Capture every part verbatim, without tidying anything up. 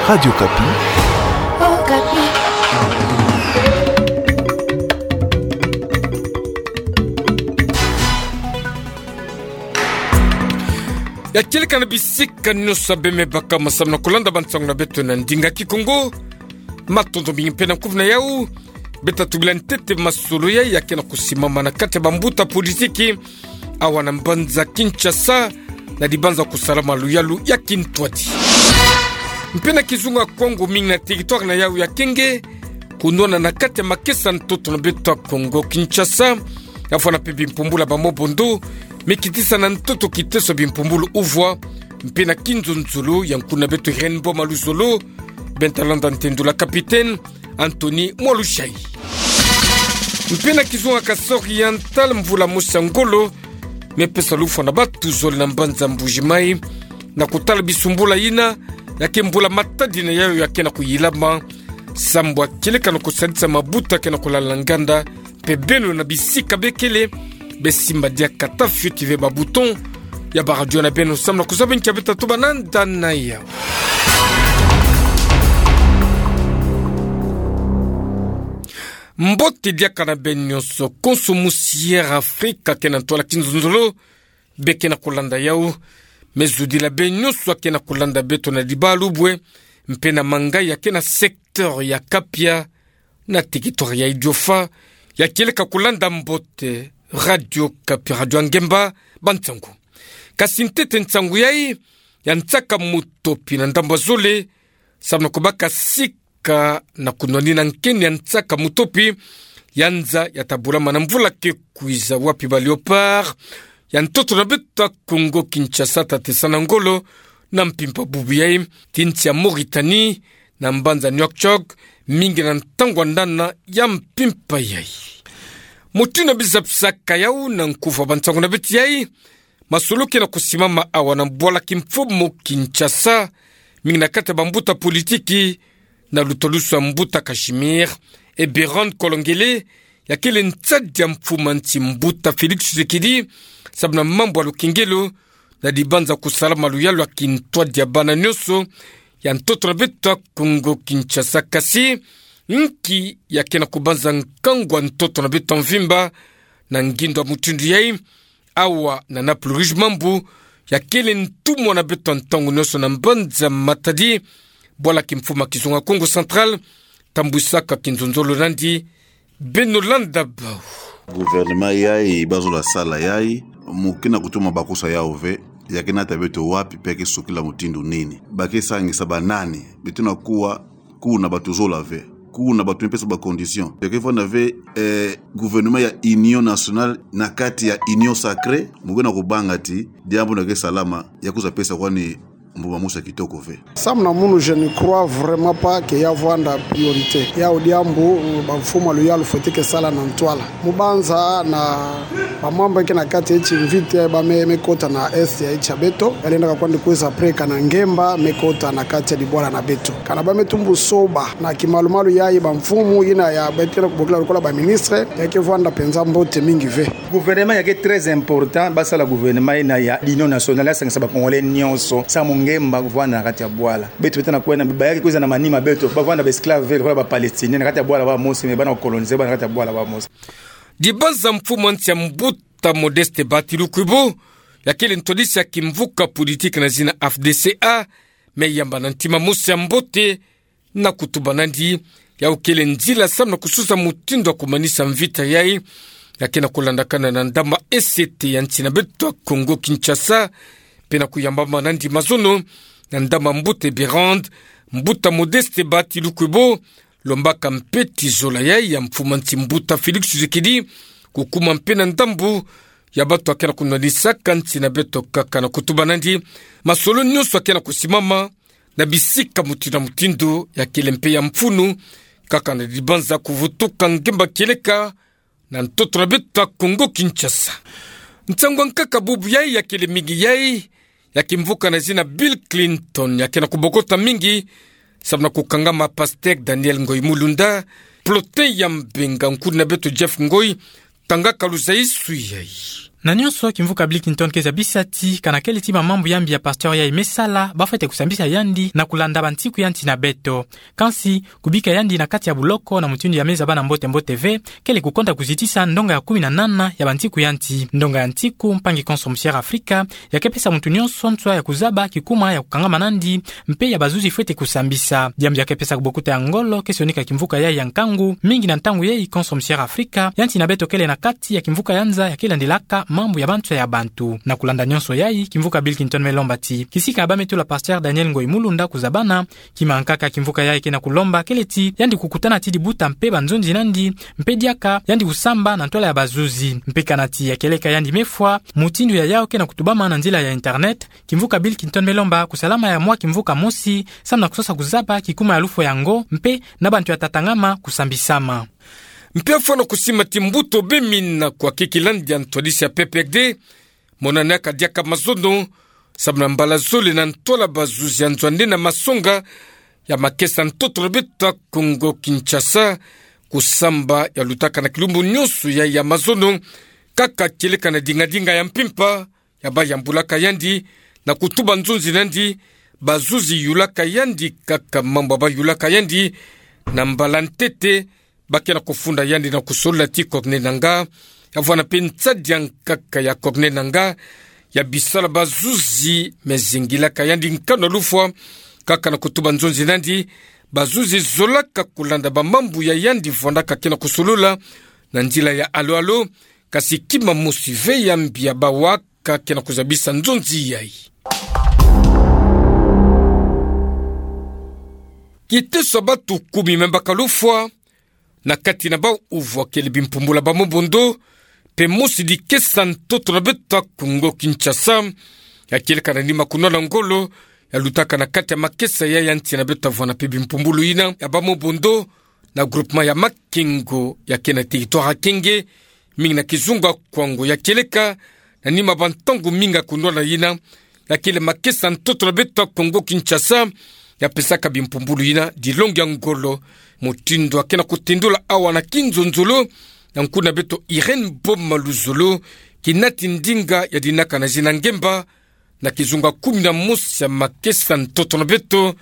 Radio Okapi. Okapi. Ya kieleka na bisika nyonso beme baka masamu na kolanda bansangu na beto na ndinga Kikongo. Matondo mingi mpe na kuvu na yau. Beta tubila ntete masolo ya, ya kena kusimama na kati ya bambuta politiki awa na mbanza Kinshasa, na dibanza kusalama luyalu ya kintwadi. Mpe na kizunga Kongo mingi na territoire na yau ya kenge, kunwana na kati ya makesa ntoto na beto ya Kongo Kinshasa, ya fwana mpe bimpumbulu ya bamobondo, mikitisa na ntoto kiteso bimpumbulu uvwa, mpe na kinzonzolo ya nkuna beto Irène Boma Luzolo, benta landa ntendula capitaine Anthony Mwalushai. Mpe na kizunga Kasaï Oriental, mvula mosi ya ngolo mepesa lufwa na batu zole na mbanza Mbuji-Mayi, na kutala bisumbula yina, ya ke mbula matadi na yayo ya kena kuyilama, sambu ya kieleka na kusadisa mabuta kena kulala na nganda, mpe beno na bisika bekele, besimba diaka tafioti ve ba bouton ya ba radio na beno samu na kuzaba nkia beta tubana nda na yau. Mbote diaka na beno nyonso, konso musi Air Afrique akena ntwala kinzonzolo, be kena kulanda yau, me zudila beno nyonso akena kulanda beto na dibalu bwe, mpe na manga ya kena secteur ya Kapia, na territoire ya Idiofa, ya kieleka kulanda mbote Radio Okapi, radio ya ngemba, bansangu. Kasi ntete nsangu yayi, ya nsaka mutopi na ndambu ya zole, samu na kubaka sika na kunwanina nkeni ya nsaka mutopi, ya nza ya tabulama na mvula ke kwiza, wapi ba Léopards ya ntoto na beto ya Kongo Kinshasa tatesa na ngolo na mpimpa bubu yayi, ti nsi ya Mauritanie, na mbanza Nouakchott, mingi na ntangu ya ndana ya mpimpa yayi. Mutindu na biza pisaka yau na nkufi ya bansangu na beto yayi, masolo kena kusimama awa na bwala kimfumu Kinshasa, mingi na kati ya bambuta politiki, na lutalusu ya mbuta Casimir Eberhard Kolongele, ya kele nsadi ya mfumu ya nsi mbuta Félix Tshisekedi, samu na mambu ya lukengelo, na dibanza kusalama luyalu ya kintwadi ya bana nyonso ya ntoto na beto ya Kongo Kinshasa. Kasi nki ya kena kubanza nkangu ya ntoto na beto ya mvimba na ngindo ya mutindu yayi? Awa na Naples Rouge, mambu ya kele ntumwa na beto ya ntangu nyonso na mbanza Matadi, bwala kimfumu ya kizunga Kongo Central, tambwisaka kinzonzolo nandi. Beno landa bau. Gouvernement yayi bazola sala yayi, mu kena kutuma bakisa yau ve, ya kena ta beto wapi mpe ke sukila mutindu nini? Ba ke sangisa banani? Beto na kuwa, kuna bato zola ve. Kuna bato mipesa ba condition. Ya ke vwanda ve, eh, gouvernement ya union nationale na kati ya union sacrée, mu kena kubanga ti diambu na ke salama, ya kwiza pesa kwani mbuma mosi ya kitoko ve. Samu na munu, je ne crois vraiment pas que ya vwanda priorité. Yau diambu, bamfumu ya luyalu fwete ke sala na ntwala. Mu banza na bamambu ke na kati ya nsi mvita, ba me, me kota na est ya nsi ya beto. Ya lenda ka kwandi kwiza après kana ngemba, me kota na kati ya dibwala na beto. Kana ba me tumbu soba na kimalumalu yayi, bamfumu yina ya beto ke bokila lokola ba ministre, ya ke vwanda mpenza mbote mingi ve. Gouvernement ya ke très important, basala gouvernement yina ya l'union nationale, ya sangisa ba Congolais nyonso, samu ngemba vwanda na kati ya bwala. Beto beto na kwenda, ba ya ke kwiza na manima beto, ba vwanda ba esclaves ve, lokola ba Palestiniens, na kati ya bwala bamosi, me bana coloniser, ba na kati ya bwala bamosi. Dibanza mfumu ya nsi ya mbuta Modeste Batilukwibo, ya kele ntwadisi ya kimvuka politique na zina F D C A, me yamba na ntima mosi ya mbote, na kutuba nandi, yau kele nzila samu na kususa mutindu ya kumanisa mvita yayi, ya kena kulandakana na ndama E C T ya nsi na beto ya Kongo Kinshasa, mpe na kuyambama nandi mazono na ndama mbuta Eberhard, mbuta Modeste Batilukwibo, lombaka mpe ti zola yayi ya mfumu ya nsi mbuta Félix Tshisekedi, kukuma mpe na ndambu ya bato ya kena kunwanisaka nsi na beto kaka, na kutuba nandi, masolo nyonso ya kena kusimama na bisika mutindu na mutindu ya kele mpe ya mfunu, kaka na dibanza kuvutuka ngemba kieleka na ntoto na beto ya Kongo Kinshasa. Nsangu ya nkaka bubu yayi ya kele mingi yayi, ya kimvuka na zina Bill Clinton, ya kena kubokota mingi samu na kukangama Pasteur Daniel Ngoyi Mulunda, Plotin ya Mbenga, nkudi na beto Jeff Ngoyi, tangaka luzayisu yayi. Na nyonso, kimvuka Bill Clinton ke zabisa ti, kana kele ti bamambu ya mbi ya pasteur yayi me sala, ba fwete kusambisa yandi na kulanda bantiku ya nsi na beto. Kansi, kubika yandi na kati ya buloko na mutindu ya me zaba na mbote-mbote ve, kele kukonda kuzitisa ndonga ya kumi na nana ya bantiku ya nsi. Ndonga ya nsiku, mpangi konso Musière Afrika, ya ke pesa muntu nyonso nswa ya kuzaba kikuma ya kukangama nandi, mpe ya bazuzi fwete kusambisa. Diambu ya ke pesa kubokuta ya ngolo ke sionika kimvuka yayi ya nkangu, mingi na ntangu yayi konso Musière Afrika, ya nsi na beto kele na kati ya kimvuka ya nza ya ke landilaka mambu ya banswa ya bantu. Na kulanda nyonso yayi, kimvuka Bill Clinton me lomba ti, kisika ba me tula pasteur Daniel Ngoyi Mulunda kuzabana, kima nkaka kimvuka yayi ke na kulomba kele ti, yandi kukutana ti dibuta mpe banzonzi nandi, mpe diaka, yandi kusamba na ntwala ya bazuzi. Mpe kana ti ya kieleka yandi me fwa, mutindu ya yawu ke na kutubama na nzila ya internet, kimvuka Bill Clinton me lomba kusalama ya mwa kimvuka mosi, samu na kusosa kuzaba kikuma ya lufwa yango, mpe na bantu ya tatangama kusambisama. Mpe fwana kusima ti mbuta bemina kwa kiki landi ya ntwadisi ya P P R D, monanaka diaka mazono, samu na mbala zole na ntwala bazuzi ya nzo ya nde na masonga ya makesa ntoto na beto ya Kongo Kinshasa, kusamba ya lutaka na kilumbu nyonso ya, ya mazono, kaka kieleka na dinga-dinga ya mpimpa, ya ba yambulaka yandi, na kutuba nzonzi nandi, bazuzi yulaka yandi, kaka mambu ya ba yulaka yandi, na mbala ntete, ba ke na kufunda yandi na kusolola ti Corneille Nangaa, ya vwanda mpe nsadi ya nkaka ya Corneille Nangaa, ya bisalu ya bazuzi me zingilaka yandi nkanu ya lufwa, kaka na kutuba nzonzi nandi, bazuzi zolaka kulanda bamambu ya yandi vwandaka ke na kusolola, na nzila ya alo-alo, kasi kima mosi ve ya mbi ya bawa ka ke na kuzabisa nzonzi yayi. Kiteso ya batu kumi me baka lufwa, na kati na bawu uvwa kele bimpumbulu ya ba mobondo, mpe mosi dikesa ntoto na beto ya Kongo Kinshasa, ya kieleka na nima kunwana ngolo, ya lutaka na kati ya makesa ya, ya nsi na beto ya vwanda mpe bimpumbulu yina, ya ba mobondo, na groupement ya Makengo, ya ke na territoire ya Kenge, mingi na kizunga Kwango ya kieleka, na nima bantangu mingi ya kunwana yina, ya kele makesa ntoto na beto ya Kongo Kinshasa, ya pesaka bimpumbulu yina dilongi ya ngolo, mutindu ya ke na kutendula awa na kinzonzolo, na nkuna beto Irène Boma Luzolo, kinati ndinga ya dinaka na zina ngemba, na kizunga kumi na mosi ya makesa ntoto na beto,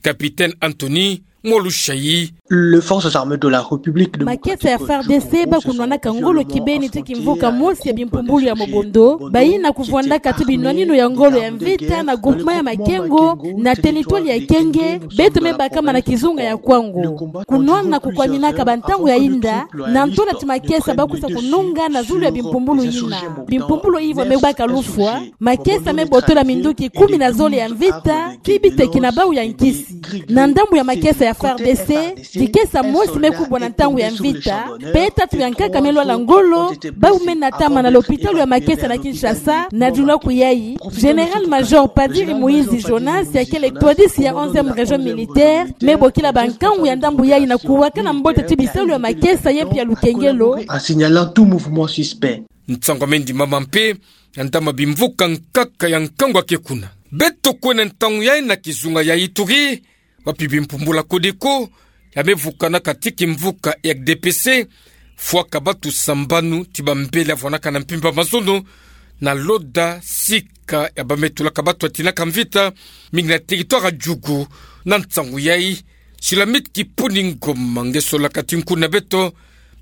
Capitaine Anthony Mwalushayi. Les forces armées de la République démocratique du Congo sont en conflit avec les frontières, euh, de la République démocratique du Congo. Makesa ya F A R D C ba kunwanaka ngolo kibeni ti kimvuka mosi ya bimpumbulu ya mobondo, bayina kuvwandaka ti binwanino ya ngolo ya mvita na groupement ya Makengo, na territoire ya Kenge, beto me bakama na kizunga ya Kwango. Kunwana kukwaminaka bantangu ya yinda, na ntwala ti makesa ba kwiza kununga na zulu ya bimpumbulu yina. Bimpumbulu yina me baka lufwa, makesa me botola minduki kumi na zole ya mvita, kibiteki na bawu ya nkisi. Na ndambu ya makesa ya F A R D C, dikesa mosi me kubwa na ntangu ya mvita, mpe tatu ya nkaka me lwala ngolo, bawu me natama na lopitalo ya makesa na Kinshasa, na diluaku yayi, Général-major Padiri Moïse Jonas, ya kele twadisi ya onzième région militaire, me bokila bankangu ya ndambu yayi na kuwakana mbote ti bisalu ya makesa ye mpe ya lukengelo. En signalant tout mouvement suspect. Nsangu ya me ndimama mpe, ya ntama bimvuka nkaka ya nkangu ya ke kuna. Beto kwenda ntangu yayi na kizunga ya Ituri, wapi bimpumbulu ya Codeco, ya me vukanaka ti kimvuka R D P C, fwaka batu sambanu ti bambele ya vwandaka na mpimpa mazono, na Loda, sika ya ba me tulaka batu ya tinaka mvita, mingi na territoire ya Djugu, na nsangu yayi, Sulamite Kipuni Ngoma nge solaka ti nkuna beto,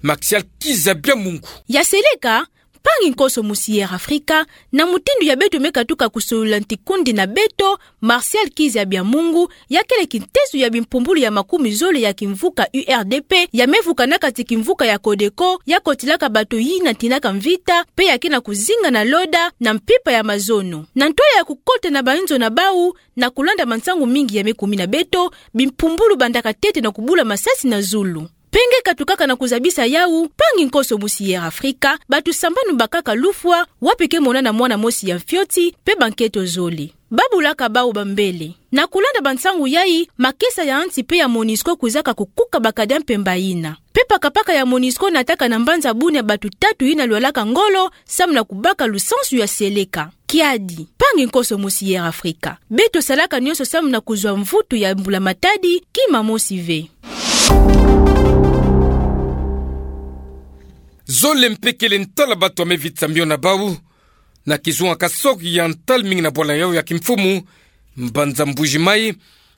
Martial Kizabia Mungu. Ya seleka, mpangi nkoso Musière Afrika, na mutindu ya beto me katuka kusolola nti kundi na beto, Martial Kizabia Mungu, ya kele kintezo ya bimpumbulu ya makumi zole ya kimvuka U R D P, ya me vukanaka ti kimvuka ya Codeco, ya kotilaka bato yina tinaka mvita, mpe ya ke na kuzinga na Loda, na mpimpa ya mazono. Na ntwala ya kukota na bayinzo na bawu, na kulanda mansangu mingi ya me kumi na beto, bimpumbulu bandaka ntete na kubula masasi na zulu. Mpe nge katukaka na kuzabisa yawu, mpangi nkoso Musière Afrika, bato sambanu bakaka lufwa, wapi ke monana mwana mosi ya mfioti, mpe banketo zole. Ba bulaka bawu bambele. Na kulanda bansangu yayi, makesa ya nsi mpe ya MONUSCO kwizaka kukuka bakadi ya mpemba yina. Mpe paka-paka ya MONUSCO nataka na mbanza bunia bato tatu yina lwalaka ngolo, samu na kubaka lusansu ya seleka. Kiadi, mpangi nkoso Musière Afrika. Beto salaka nyonso samu na kuzwa mvutu ya mbula matadi, kima mosi ve. Zole mpe kele ntala batu ya mevitsa mio na bau na kizunga kasoki ya ntala mingi na bwala yau ya kimfumu, mbanza Mbuji-Mayi,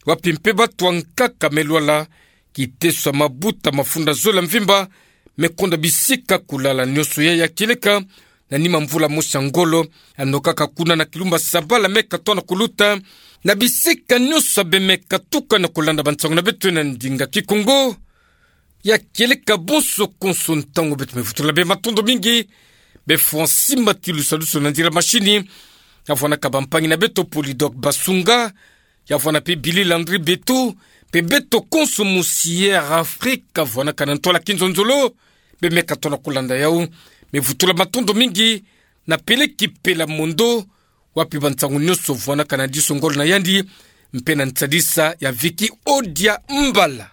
wapi mpe batu ya nkaka melwala, kiteso ya mabuta mafunda zole ya mvimba, mekonda bisika kulala nioso ya ya kieleka, na nima mvula mosi ya ngolo, anokaka kuna na kilumba Sabala meka tona kuluta, na bisika nioso ya bemeka tuka na kulanda bansangu na beto na ndinga Kikongo. Ya kieleka bonso konso ntangu beto mevutula be matondo mingi, be Francis Matilu saluso na nzila mashini, ya vwanaka bampangi na beto Polydor Basunga, ya vwana mpe Billy Landry Beto, mpe beto konso musi Air Afrique, ya vwanaka na ntwala kinzonzolo, be meka tona kulanda yau, mevutula matondo mingi, na Peleki Pela Mondo, wapi bansangu nioso vwanaka na diso ngolo na yandi, mpe na nsadisa ya Vicky Odia Mbala.